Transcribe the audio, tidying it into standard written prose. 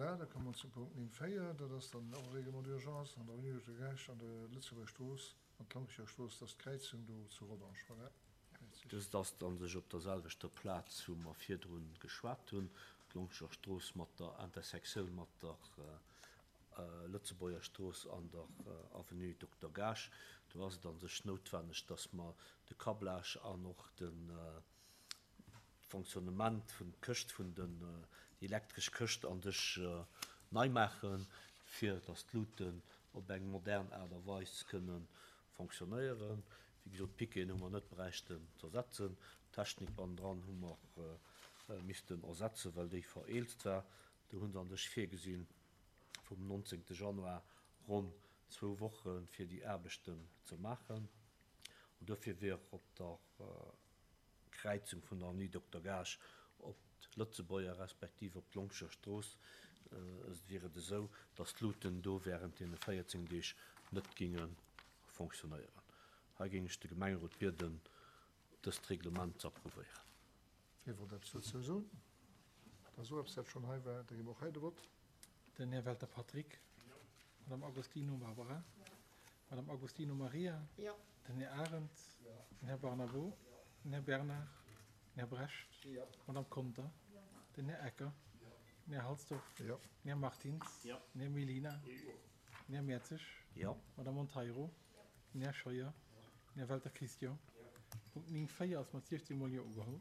Voilà, da komme mer zum Punkt 9, 4. Dat ass dann och e Règlement d'urgence an der Avenue Docteur Gaasch an der Lëtzebuerger Strooss an d'Lonkecher Strooss. Dat ass d'Kräizung do zu Rodange. Voilà, Här Mertzig. Dëst ass a sech op der selwechter Plaz, wou mer virdrun geschwat hunn, d'Lonkecher Strooss mat der Intersektioun mat der Lëtzebuerger Strooss an der Avenue Dokter Gaasch. Do ass et a sech noutwenneg, dass mer de Câblage an och de Fonctionnement vun d'Këscht vun den, déi elektresch Këscht a sech nei maachen, fir dass d'Luuten op eng modern Aart a Weis kënne fonctionnéieren. Wéi gesot, d'Piqueten hu mer net bräichten z'ersetzen. D'Technik bannendran hu mer missten ersetzen, well déi vereelzt war. Do hu se a sech virgesinn, vum 19 Januar ronn zwou Woche fir déi Aarbechten ze maachen. An duerfir wier op der Kräizung vun der Avenue Dokter Gaasch op d'Lëtzebuerger respektiv op d'Longscher Strooss wier et esou, datt d'Luuten do wärend deene 14 Deeg net géinge fonctionnéieren. Hei géing ech de Gemengerot bieden, dëst Reglement ze approuvéieren. Wie wollt eppes dozou soen? Da so eppes, dat schonn hei war, da gi mer och hei de Vott. Den Här Welter Patrick. Madame Agostino Barbara. Madame Agostino Maria. Den Här Arendt. Den Här Barnabo. Den Här Bernard. Den Här Brecht. Madame Conter. Den Här Ecker. Den Här Halsdorf. Den Här Martins. Den Här Mellina. Den Här Mertzig. Madame Monteiro. Den Här Scheuer. Den Här Welter Christian. Punkt 9, 4 ass mat 16 mol Jo ugeholl.